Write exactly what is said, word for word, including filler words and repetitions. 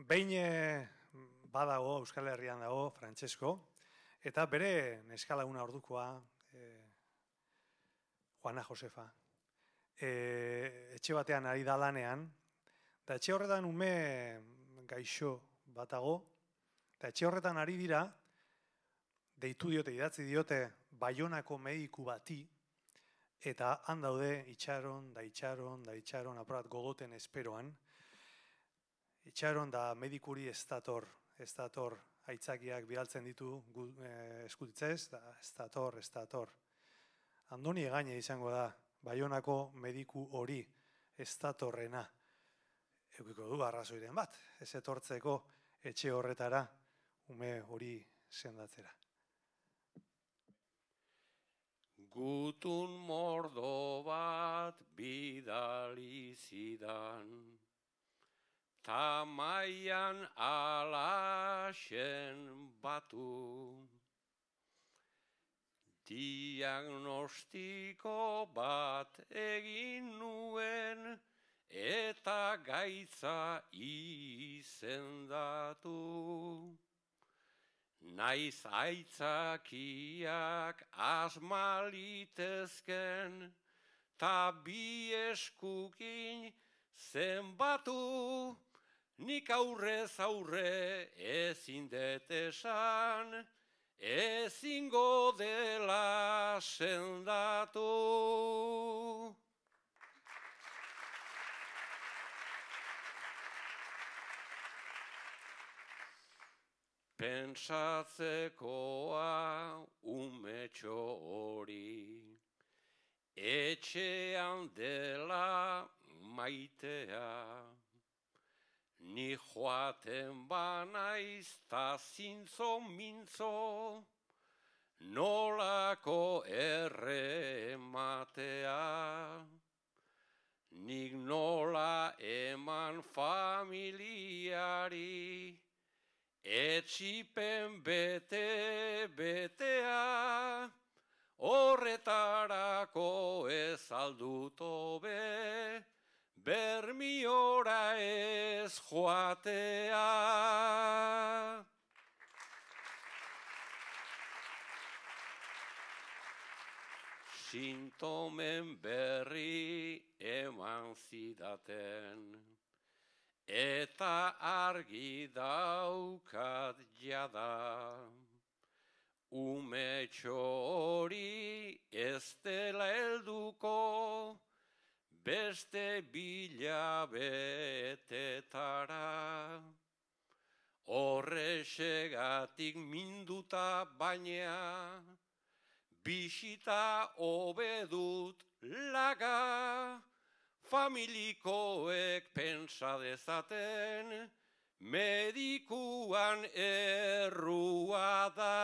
behin badago, Euskal Herrian dago, Francesco, eta bere neskalaguna ordukoa, e, Juana Josefa, e, etxe batean ari da lanean, eta etxe horretan ume gaixo batago, eta etxe horretan ari dira, deitu diote, idatzi diote, Baionako mediku bati, eta han daude itxaron, da itxaron, da itxaron, apurat gogoten esperoan, itxaron da medikuri ez dator, ez dator, aitzakiak bidaltzen ditu e, eskutitzez, da ez dator, ez dator. Andoni Egaña izango da, Baionako mediku hori ez datorrena. Eukiko du arrazoiren bat, ez etortzeko etxe horretara, ume hori sendatzera. Gutun mordo bat bidali zidan, tamaian alaxen batu. Diagnostiko bat egin nuen eta gaitza izendatu. Naiz aitzakiak asmalitezken, ta bi eskukin zenbatu, nik aurrez aurre ezin det esan, ezingo dela sendatu. Pentsatzekoa umetxo hori, etxean dela maitea, ni joaten banaiz ta zintzo mintzo, nolako errematea, nik nola eman familiari, etxipen bete betea, horretarako ez aldut hobe, bermiora ez joatea. Sintomen berri eman zidaten, eta argi daukat jada, umetxo hori ez dela helduko, beste bilabetetara. Horrexegatik minduta baina, bisita hobedut laga, familikoek pentsa dezaten, medikuan errua da.